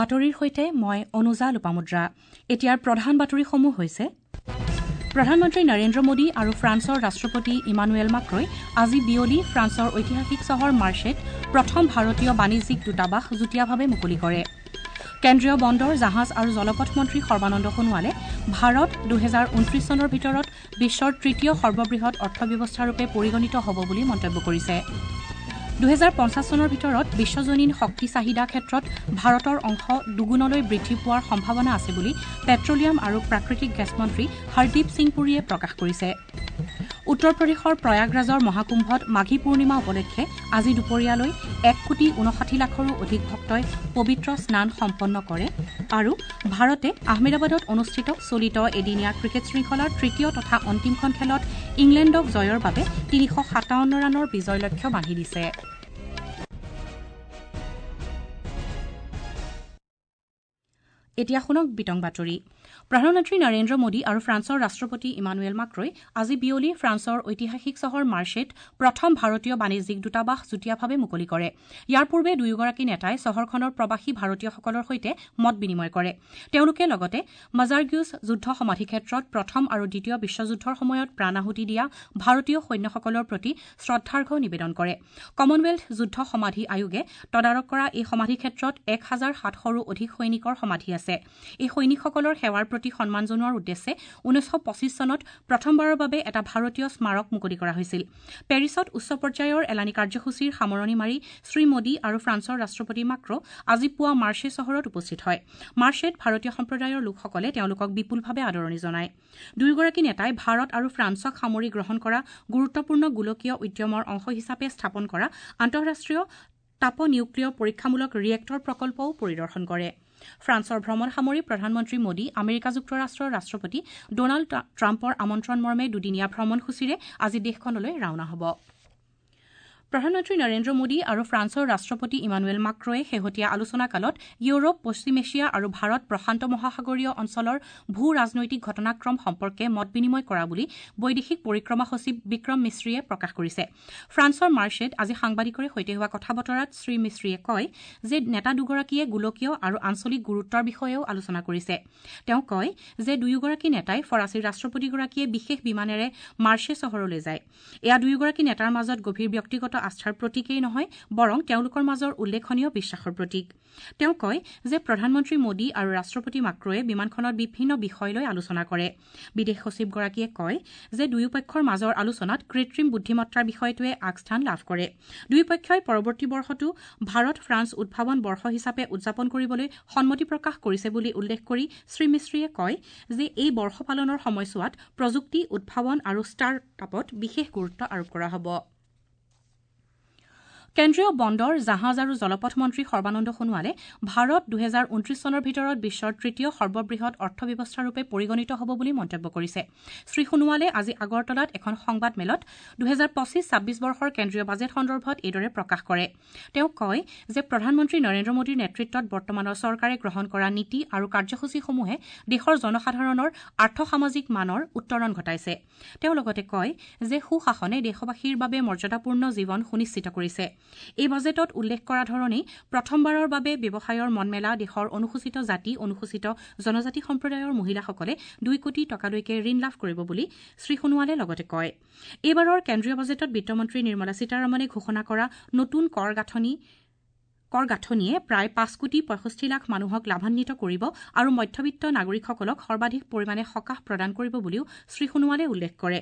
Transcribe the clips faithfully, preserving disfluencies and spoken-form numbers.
বাতৰিৰ সৈতে মই অনুজা লোপামুদ্ৰা। এতিয়াৰ প্ৰধান বাতৰিসমূহ হৈছে: প্ৰধানমন্ত্ৰী নৰেন্দ্ৰ মোদী আৰু ফ্ৰান্সৰ ৰাষ্ট্ৰপতি ইমানুৱেল মাক্ৰই আজি বিয়লি ফ্ৰান্সৰ ঐতিহাসিক চহৰ মাৰ্চেত প্ৰথম ভাৰতীয় বাণিজ্যিক দূতাবাস যুটীয়াভাৱে মুকলি কৰে। কেন্দ্ৰীয় বন্দৰ, জাহাজ আৰু জলপথ মন্ত্ৰী সৰ্বানন্দ সোণোৱালে ভাৰত দুহেজাৰ ঊনত্ৰিশ চনৰ ভিতৰত বিশ্বৰ তৃতীয় সৰ্ববৃহৎ অৰ্থব্যৱস্থাৰূপে পৰিগণিত হ'ব বুলি মন্তব্য কৰিছে। দুহেজাৰ পঞ্চাছ চনৰ ভিতৰত বিশ্বজনীন শক্তি চাহিদা ক্ষেত্ৰত ভাৰতৰ অংশ দুগুণলৈ বৃদ্ধি পোৱাৰ সম্ভাৱনা আছে বুলি পেট্ৰলিয়াম আৰু প্ৰাকৃতিক গেছ মন্ত্ৰী হৰদীপ সিং পুৰীয়ে প্ৰকাশ কৰিছে। উত্তৰ প্ৰদেশৰ প্ৰয়াগৰাজৰ মহাকুম্ভত মাঘী পূৰ্ণিমা উপলক্ষে আজি দুপৰীয়ালৈ এক কোটি ঊনষাঠি লাখৰো অধিক ভক্তই পবিত্ৰ স্নান সম্পন্ন কৰে। আৰু ভাৰতে আহমেদাবাদত অনুষ্ঠিত চলিত এদিনীয়া ক্ৰিকেট শৃংখলাৰ তৃতীয় তথা অন্তিমখন খেলত ইংলেণ্ডক জয়ৰ বাবে তিনিশ সাতাৱন্ন ৰানৰ বিজয় লক্ষ্য বান্ধি দিছে। এতিয়া শুনক বিতং বাতৰি। প্ৰধানমন্ত্ৰী নৰেন্দ্ৰ মোদী আৰু ফ্ৰান্সৰ ৰাষ্ট্ৰপতি ইমানুৱেল মাক্ৰই আজি বিয়লি ফ্ৰান্সৰ ঐতিহাসিক চহৰ মাৰ্চেত প্ৰথম ভাৰতীয় বাণিজ্যিক দূতাবাস যুটীয়াভাৱে মুকলি কৰে। ইয়াৰ পূৰ্বে দুয়োগৰাকী নেতাই চহৰখনৰ প্ৰৱাসী ভাৰতীয়সকলৰ সৈতে মত বিনিময় কৰে। তেওঁলোকে লগতে মাজাৰ্গিউছ যুদ্ধ সমাধিক্ষেত্ৰত প্ৰথম আৰু দ্বিতীয় বিশ্বযুদ্ধৰ সময়ত প্ৰাণ আহুতি দিয়া ভাৰতীয় সৈন্যসকলৰ প্ৰতি শ্ৰদ্ধাৰ্ঘ্য নিবেদন কৰে। কমনৱেলথ যুদ্ধ সমাধি আয়োগে তদাৰক কৰা এই সমাধিক্ষেত্ৰত এক হাজাৰ সাতশৰো অধিক সৈনিকৰ সমাধি আছে। এই সৈনিকসকলৰ সেৱাৰ প্ৰতি সন্মান জনোৱাৰ উদ্দেশ্যে ঊনৈছশ পঁচিছ চনত প্ৰথমবাৰৰ বাবে এটা ভাৰতীয় স্মাৰক মুকলি কৰা হৈছিল। পেৰিছত উচ্চ পৰ্যায়ৰ এলানি কাৰ্যসূচীৰ সামৰণি মাৰি শ্ৰীমোদী আৰু ফ্ৰান্সৰ ৰাষ্ট্ৰপতি মাক্ৰ আজি পুৱা মাৰ্চে চহৰত উপস্থিত হয়। মাৰ্চেত ভাৰতীয় সম্প্ৰদায়ৰ লোকসকলে তেওঁলোকক বিপুলভাৱে আদৰণি জনায়। দুয়োগৰাকী নেতাই ভাৰত আৰু ফ্ৰান্সক সামৰি গ্ৰহণ কৰা গুৰুত্বপূৰ্ণ গোলকীয় উদ্যমৰ অংশ হিচাপে স্থাপন কৰা আন্তঃৰাষ্ট্ৰীয় তাপনিউক্লিয় পৰীক্ষামূলক ৰিয়েক্টৰ প্ৰকল্পও পৰিদৰ্শন কৰে। ফ্ৰান্সৰ ভ্ৰমণ সামৰি প্ৰধানমন্ত্ৰী মোদী আমেৰিকা যুক্তৰাষ্ট্ৰৰ ৰাষ্ট্ৰপতি ডনাল্ড ট্ৰাম্পৰ আমন্ত্ৰণ মৰ্মে দুদিনীয়া ভ্ৰমণসূচীৰে আজি দেশখনলৈ ৰাওনা হ'ব। প্ৰধানমন্ত্ৰী নৰেন্দ্ৰ মোদী আৰু ফ্ৰান্সৰ ৰাষ্ট্ৰপতি ইমানুৱেল মাক্ৰয়ে শেহতীয়া আলোচনাকালত ইউৰোপ, পশ্চিম এছিয়া আৰু ভাৰত প্ৰশান্ত মহাসাগৰীয় অঞ্চলৰ ভূ ৰাজনৈতিক ঘটনাক্ৰম সম্পৰ্কে মত বিনিময় কৰা বুলি বৈদেশিক পৰিক্ৰমা সচিব বিক্ৰম মিশ্ৰীয়ে প্ৰকাশ কৰিছে। ফ্ৰান্সৰ মাৰ্চেত আজি সাংবাদিকৰে সৈতে হোৱা কথা বতৰাত শ্ৰীমিশ্ৰীয়ে কয় যে নেতা দুগৰাকীয়ে গোলকীয় আৰু আঞ্চলিক গুৰুত্বৰ বিষয়েও আলোচনা কৰিছে। তেওঁ কয় যে দুয়োগৰাকী নেতাই ফৰাচী ৰাষ্ট্ৰপতিগৰাকীয়ে বিশেষ বিমানেৰে মাৰ্চে চহৰলৈ যায়। এয়া দুয়োগৰাকী নেতাৰ মাজত গভীৰ ব্যক্তিগত আস্থাৰ প্ৰতীকেই নহয়, বৰং তেওঁলোকৰ মাজৰ উল্লেখনীয় বিশ্বাসৰ প্ৰতীক। তেওঁ কয় যে প্ৰধানমন্ত্ৰী মোদী আৰু ৰাষ্ট্ৰপতি মাক্ৰয়ে বিমানখনত বিভিন্ন বিষয় লৈ আলোচনা কৰে। বিদেশ সচিবগৰাকীয়ে কয় যে দুয়োপক্ষৰ মাজৰ আলোচনাত কৃত্ৰিম বুদ্ধিমত্তাৰ বিষয়টোৱে আগস্থান লাভ কৰে। দুয়োপক্ষই পৰৱৰ্তী বৰ্ষটো ভাৰত ফ্ৰান্স উদ্ভাৱন বৰ্ষ হিচাপে উদযাপন কৰিবলৈ সন্মতি প্ৰকাশ কৰিছে বুলি উল্লেখ কৰি শ্ৰীমিশ্ৰীয়ে কয় যে এই বৰ্ষ পালনৰ সময়ছোৱাত প্ৰযুক্তি, উদ্ভাৱন আৰু ষ্টাৰ্ট আপত বিশেষ গুৰুত্ব আৰোপ কৰা হ'ব। কেন্দ্ৰীয় বন্দৰ, জাহাজ আৰু জলপথ মন্ত্ৰী সৰ্বানন্দ সোণোৱালে ভাৰত দুহেজাৰ ঊনত্ৰিশ চনৰ ভিতৰত বিশ্বৰ তৃতীয় সৰ্ববৃহৎ অৰ্থব্যৱস্থাৰূপে পৰিগণিত হ'ব বুলি মন্তব্য কৰিছে। শ্ৰীসোণোৱালে আজি আগৰতলাত এখন সংবাদমেলত দুহেজাৰ পঁচিছ ছাব্বিছ বৰ্ষৰ কেন্দ্ৰীয় বাজেট সন্দৰ্ভত এইদৰে প্ৰকাশ কৰে। তেওঁ কয় যে প্ৰধানমন্ত্ৰী নৰেন্দ্ৰ মোদীৰ নেতৃত্বত বৰ্তমানৰ চৰকাৰে গ্ৰহণ কৰা নীতি আৰু কাৰ্যসূচীসমূহে দেশৰ জনসাধাৰণৰ আৰ্থসামাজিক মানৰ উত্তৰণ ঘটাইছে। তেওঁ লগতে কয় যে সুশাসনে দেশবাসীৰ বাবে মৰ্যাদাপূৰ্ণ জীৱন সুনিশ্চিত কৰিছে। এই বাজেটত উল্লেখ কৰা ধৰণেই প্ৰথমবাৰৰ বাবে ব্যৱসায়ৰ মনমেলা দেশৰ অনুসূচিত জাতি, অনুসূচিত জনজাতি সম্প্ৰদায়ৰ মহিলাসকলে দুই কোটি টকালৈকে ঋণ লাভ কৰিব বুলি শ্ৰীসোণোৱালে লগতে কয়। এইবাৰৰ কেন্দ্ৰীয় বাজেটত বিত্তমন্ত্ৰী নিৰ্মলা সীতাৰমণে ঘোষণা কৰা নতুন কৰ গাঁথনি কৰ গাঁথনিয়ে প্ৰায় পাঁচ কোটি পঁয়ষষ্ঠি লাখ মানুহক লাভান্বিত কৰিব আৰু মধ্যবিত্ত নাগৰিকসকলক সৰ্বাধিক পৰিমাণে সকাহ প্ৰদান কৰিব বুলিও শ্ৰীসোণোৱালে উল্লেখ কৰে।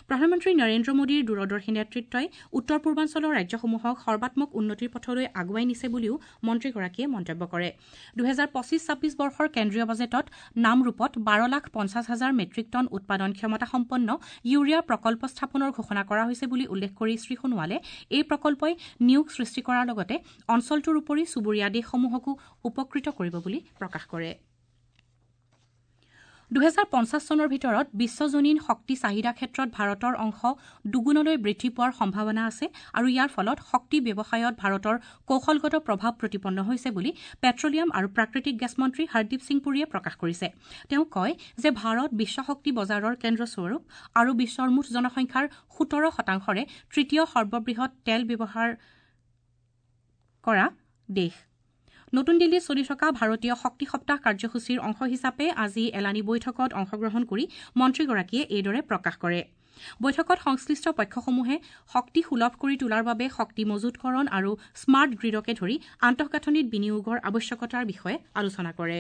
প্ৰধানমন্ত্ৰী নৰেন্দ্ৰ মোদীৰ দূৰদৰ্শী নেতৃত্বই উত্তৰ পূৰ্বাঞ্চলৰ ৰাজ্যসমূহক সৰ্বাত্মক উন্নতিৰ পথলৈ আগুৱাই নিছে বুলিও মন্ত্ৰীগৰাকীয়ে মন্তব্য কৰে। দুহেজাৰ পঁচিছ ছাব্বিছ বৰ্ষৰ কেন্দ্ৰীয় বাজেটত নামৰূপত বাৰ লাখ পঞ্চাছ হাজাৰ মেট্ৰিক টন উৎপাদন ক্ষমতাসম্পন্ন ইউৰিয়া প্ৰকল্প স্থাপনৰ ঘোষণা কৰা হৈছে বুলি উল্লেখ কৰি শ্ৰীসোণোৱালে এই প্ৰকল্পই নিয়োগ সৃষ্টি কৰাৰ লগতে অঞ্চলটোৰ উপৰি চুবুৰীয়া দেশসমূহকো উপকৃত কৰিব বুলি প্ৰকাশ কৰে। দুহেজাৰ পঞ্চাছ চনৰ ভিতৰত বিশ্বজনীন শক্তি চাহিদা ক্ষেত্ৰত ভাৰতৰ অংশ দুগুণলৈ বৃদ্ধি পোৱাৰ সম্ভাৱনা আছে আৰু ইয়াৰ ফলত শক্তি ব্যৱসায়ত ভাৰতৰ কৌশলগত প্ৰভাৱ প্ৰতিপন্ন হৈছে বুলি পেট্ৰলিয়াম আৰু প্ৰাকৃতিক গেছ মন্ত্ৰী হৰদীপ সিং পুৰীয়ে প্ৰকাশ কৰিছে। তেওঁ কয় যে ভাৰত বিশ্ব শক্তি বজাৰৰ কেন্দ্ৰস্বৰূপ আৰু বিশ্বৰ মুঠ জনসংখ্যাৰ সোতৰ শতাংশৰে তৃতীয় সৰ্ববৃহৎ তেল ব্যৱহাৰ কৰা দেশ। নতুন দিল্লীত চলি থকা ভাৰতীয় শক্তি সপ্তাহ কাৰ্যসূচীৰ অংশ হিচাপে আজি এলানি বৈঠকত অংশগ্ৰহণ কৰি মন্ত্ৰীগৰাকীয়ে এইদৰে প্ৰকাশ কৰে। বৈঠকত সংশ্লিষ্ট পক্ষসমূহে শক্তি সুলভ কৰি তোলাৰ বাবে শক্তি মজুতকৰণ আৰু স্মাৰ্ট গ্ৰীডকে ধৰি আন্তঃগাঁথনিত বিনিয়োগৰ আৱশ্যকতাৰ বিষয়ে আলোচনা কৰে।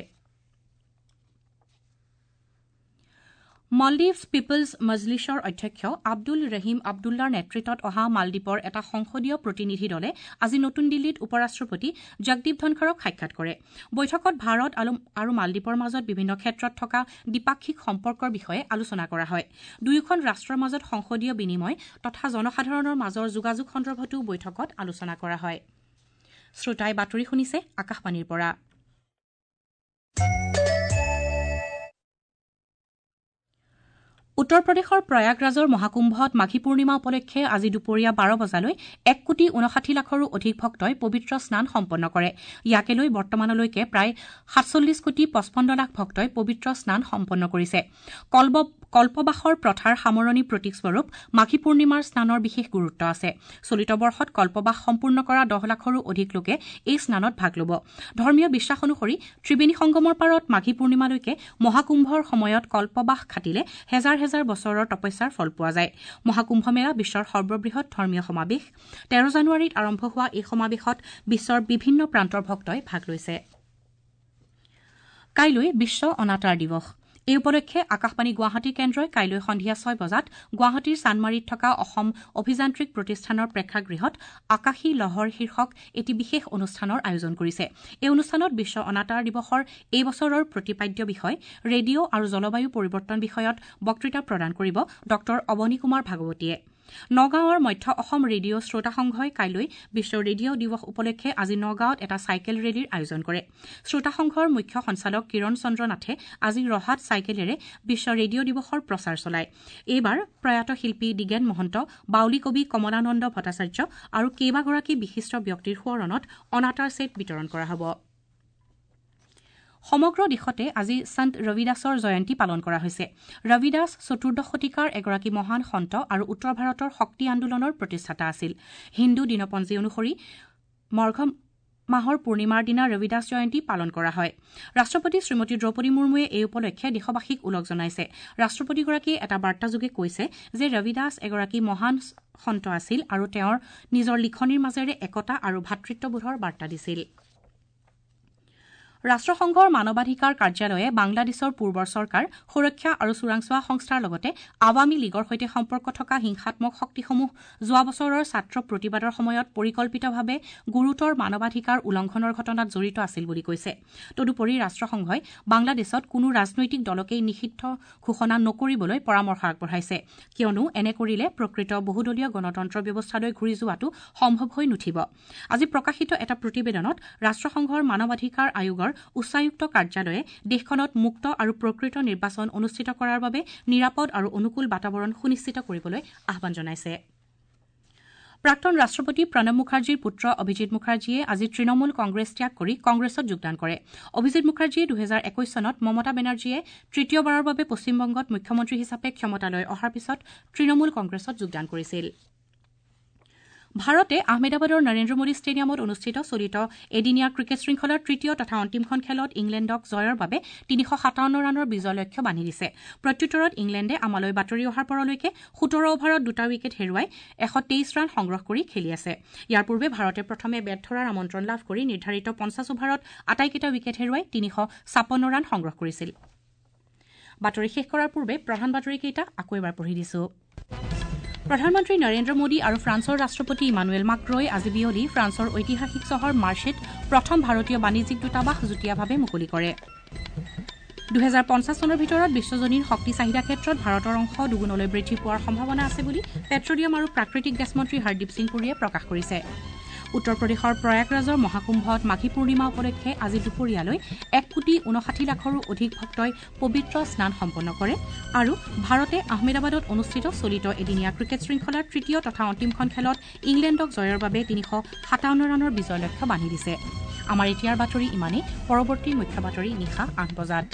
মালদ্বীপছ পিপলছ মজলিছৰ অধ্যক্ষ আব্দুল ৰহিম আব্দুল্লাৰ নেতৃত্বত অহা মালদ্বীপৰ এটা সংসদীয় প্ৰতিনিধি দলে আজি নতুন দিল্লীত উপ-ৰাষ্ট্ৰপতি জগদীপ ধনখৰক সাক্ষাৎ কৰে। বৈঠকত ভাৰত আৰু মালদ্বীপৰ মাজত বিভিন্ন ক্ষেত্ৰত থকা দ্বিপাক্ষিক সম্পৰ্কৰ বিষয়ে আলোচনা কৰা হয়। দুয়োখন ৰাষ্ট্ৰৰ মাজত সংসদীয় বিনিময় তথা জনসাধাৰণৰ মাজৰ যোগাযোগ সন্দৰ্ভতো বৈঠকত আলোচনা কৰা হয়। শ্ৰোতাই বাতৰি শুনিছে আকাশবাণীৰ পৰা। উত্তৰ প্ৰদেশৰ প্ৰয়াগৰাজৰ মহাকুম্ভত মাঘী পূৰ্ণিমা উপলক্ষে আজি দুপৰীয়া বাৰ বজালৈ এক কোটি ঊনষাঠি লাখৰো অধিক ভক্তই পবিত্ৰ স্নান সম্পন্ন কৰে। ইয়াকে লৈ বৰ্তমানলৈকে প্ৰায় সাতচল্লিছ কোটি পঁচপন্ন লাখ ভক্তই পবিত্ৰ স্নান সম্পন্ন কৰিছে। কল্পবাসৰ প্ৰথাৰ সামৰণি প্ৰতীকস্বৰূপ মাঘী পূৰ্ণিমাৰ স্নানৰ বিশেষ গুৰুত্ব আছে। চলিত বৰ্ষত কল্পবাস সম্পূৰ্ণ কৰা দহ লাখৰো অধিক লোকে এই স্নানত ভাগ ল'ব। ধৰ্মীয় বিশ্বাস অনুসৰি ত্ৰিবেণী সংগমৰ পাৰত মাঘী পূৰ্ণিমালৈকে মহাকুম্ভৰ সময়ত কল্পবাস খাটিলে হেজাৰ হেজাৰ বছৰৰ তপস্যাৰ ফল পোৱা যায়। মহাকুম্ভ মেলা বিশ্বৰ সৰ্ববৃহৎ ধৰ্মীয় সমাৱেশ। তেৰ জানুৱাৰীত আৰম্ভ হোৱা এই সমাৱেশত বিশ্বৰ বিভিন্ন প্ৰান্তৰ ভক্তই ভাগ লৈছে। কাইলৈ বিশ্ব অনাতাঁৰ দিৱস। এই উপলক্ষে আকাশবাণী গুৱাহাটী কেন্দ্ৰই কাইলৈ সন্ধিয়া ছয় বজাত গুৱাহাটীৰ চানমাৰীত থকা অসম অভিযান্ত্ৰিক প্ৰতিষ্ঠানৰ প্ৰেক্ষাগৃহত আকাশী লহৰ শীৰ্ষক এটি বিশেষ অনুষ্ঠানৰ আয়োজন কৰিছে। এই অনুষ্ঠানত বিশ্ব অনাতাঁৰ দিৱসৰ এই বছৰৰ প্ৰতিপাদ্য বিষয় ৰেডিঅ' আৰু জলবায়ু পৰিৱৰ্তন বিষয়ত বক্তৃতা প্ৰদান কৰিব ডঃ অৱনী কুমাৰ ভাগৱতীয়ে। নগাঁৱৰ মধ্য অসম ৰেডিঅ' শ্ৰোতা সংঘই কাইলৈ বিশ্ব ৰেডিঅ' দিৱস উপলক্ষে আজি নগাঁৱত এটা চাইকেল ৰেলীৰ আয়োজন কৰে। শ্ৰোতা সংঘৰ মুখ্য সঞ্চালক কিৰণ চন্দ্ৰ নাথে আজি ৰহাত চাইকেলেৰে বিশ্ব ৰেডিঅ' দিৱসৰ প্ৰচাৰ চলায়। এইবাৰ প্ৰয়াত শিল্পী দিগেন মহন্ত, বাউলী কবি কমলানন্দ ভট্টাচাৰ্য আৰু কেইবাগৰাকী বিশিষ্ট ব্যক্তিৰ সোঁৱৰণত অনাতাঁৰ ছেট বিতৰণ কৰা হ'ব। সমগ্ৰ দেশতে আজি সন্ত ৰবিদাসৰ জয়ন্তী পালন কৰা হৈছে। ৰবিদাস চতুৰ্দশ শতিকাৰ এগৰাকী মহান সন্ত আৰু উত্তৰ ভাৰতৰ শক্তি আন্দোলনৰ প্ৰতিষ্ঠাতা আছিল। হিন্দু দিনপঞ্জী অনুসৰি মৰ্ঘ মাহৰ পূৰ্ণিমাৰ দিনা ৰবিদাস জয়ন্তী পালন কৰা হয়। ৰাষ্ট্ৰপতি শ্ৰীমতী দ্ৰৌপদী মুৰ্মুৱে এই উপলক্ষে দেশবাসীক ওলগ জনাইছে। ৰাষ্ট্ৰপতিগৰাকীয়ে এটা বাৰ্তাযোগে কৈছে যে ৰবিদাস এগৰাকী মহান সন্ত আছিল আৰু তেওঁৰ নিজৰ লিখনিৰ মাজেৰে একতা আৰু ভাতৃত্ববোধৰ বাৰ্তা দিছিল। ৰাষ্ট্ৰসংঘৰ মানৱাধিকাৰ কাৰ্যালয়ে বাংলাদেশৰ পূৰ্বৰ চৰকাৰ, সুৰক্ষা আৰু চোৰাংচোৱা সংস্থাৰ লগতে আৱামী লীগৰ সৈতে সম্পৰ্ক থকা হিংসাত্মক শক্তিসমূহ যোৱা বছৰৰ ছাত্ৰ প্ৰতিবাদৰ সময়ত পৰিকল্পিতভাৱে গুৰুতৰ মানৱাধিকাৰ উলংঘনৰ ঘটনাত জড়িত আছিল বুলি কৈছে। তদুপৰি ৰাষ্ট্ৰসংঘই বাংলাদেশত কোনো ৰাজনৈতিক দলকেই নিষিদ্ধ ঘোষণা নকৰিবলৈ পৰামৰ্শ আগবঢ়াইছে, কিয়নো এনে কৰিলে প্ৰকৃত বহুদলীয় গণতন্ত্ৰ ব্যৱস্থালৈ ঘূৰি যোৱাটো সম্ভৱ হৈ নুঠিব। আজি প্ৰকাশিত এটা প্ৰতিবেদনত ৰাষ্ট্ৰসংঘৰ মানৱাধিকাৰ আয়োগৰ উচ্চায়ুক্ত কাৰ্যালয়ে দেশখনত মুক্ত আৰু প্ৰকৃত নিৰ্বাচন অনুষ্ঠিত কৰাৰ বাবে নিৰাপদ আৰু অনুকূল বাতাবৰণ সুনিশ্চিত কৰিবলৈ আহ্বান জনাইছে। প্ৰাক্তন ৰাষ্ট্ৰপতি প্ৰণৱ মুখাৰ্জীৰ পুত্ৰ অভিজিৎ মুখাৰ্জীয়ে আজি তৃণমূল কংগ্ৰেছ ত্যাগ কৰি কংগ্ৰেছত যোগদান কৰে। অভিজিৎ মুখাৰ্জীয়ে দুহেজাৰ একৈশ চনত মমতা বেনাৰ্জীয়ে তৃতীয়বাৰৰ বাবে পশ্চিমবংগত মুখ্যমন্ত্ৰী হিচাপে ক্ষমতালৈ অহাৰ পিছত তৃণমূল কংগ্ৰেছত যোগদান কৰিছিল। ভাৰতে আহমেদাবাদৰ নৰেন্দ্ৰ মোদী ষ্টেডিয়ামত অনুষ্ঠিত চলিত এদিনীয়া ক্ৰিকেট শৃংখলাৰ তৃতীয় তথা অন্তিমখন খেলত ইংলেণ্ডক জয়ৰ বাবে তিনিশ সাতাৱন্ন ৰানৰ বিজয় লক্ষ্য বান্ধি দিছে। প্ৰত্যুত্তৰত ইংলেণ্ডে আমালৈ বাতৰি অহাৰ পৰলৈকে সোতৰ অভাৰত দুটা উইকেট হেৰুৱাই এশ তেইছ ৰান সংগ্ৰহ কৰি খেলি আছে। ইয়াৰ পূৰ্বে ভাৰতে প্ৰথমে বেট ধৰাৰ আমন্ত্ৰণ লাভ কৰি নিৰ্ধাৰিত পঞ্চাছ অভাৰত আটাইকেইটা উইকেট হেৰুৱাই তিনিশ ছাপন্ন ৰান সংগ্ৰহ কৰিছিল। বাতৰি শেষ কৰাৰ পূৰ্বে প্ৰধান বাতৰিকেইটা আকৌ এবাৰ পঢ়ি দিছো। প্ৰধানমন্ত্ৰী নৰেন্দ্ৰ মোদী আৰু ফ্ৰান্সৰ ৰাষ্ট্ৰপতি ইমানুৱেল মাক্ৰ'ই আজি বিয়লি ফ্ৰান্সৰ ঐতিহাসিক চহৰ মাৰ্চেত প্ৰথম ভাৰতীয় বাণিজ্যিক দূতাবাস যুটীয়াভাৱে মুকলি কৰে। দুহেজাৰ পঞ্চাছ চনৰ ভিতৰত বিশ্বজনীন শক্তি চাহিদা ক্ষেত্ৰত ভাৰতৰ অংশ দুগুণলৈ বৃদ্ধি পোৱাৰ সম্ভাৱনা আছে বুলি পেট্ৰলিয়াম আৰু প্ৰাকৃতিক গেছ মন্ত্ৰী হৰদীপ সিং পুৰীয়ে প্ৰকাশ কৰিছে। উত্তৰ প্ৰদেশৰ প্ৰয়াগৰাজৰ মহাকুম্ভত মাঘী পূৰ্ণিমা উপলক্ষে আজি দুপৰীয়ালৈ এক কোটি ঊনষাঠি লাখৰো অধিক ভক্তই পবিত্ৰ স্নান সম্পন্ন কৰে আৰু ভাৰতে আহমেদাবাদত অনুষ্ঠিত চলিত এদিনীয়া ক্ৰিকেট শৃংখলাৰ তৃতীয় তথা অন্তিমখন খেলত ইংলেণ্ডক জয়ৰ বাবে তিনিশ সাতাৱন্ন ৰানৰ বিজয় লক্ষ্য বান্ধি দিছে। আমাৰ এতিয়াৰ বাতৰি ইমানেই। পৰৱৰ্তী মুখ্য বাতৰি নিশা আঠ বজাত।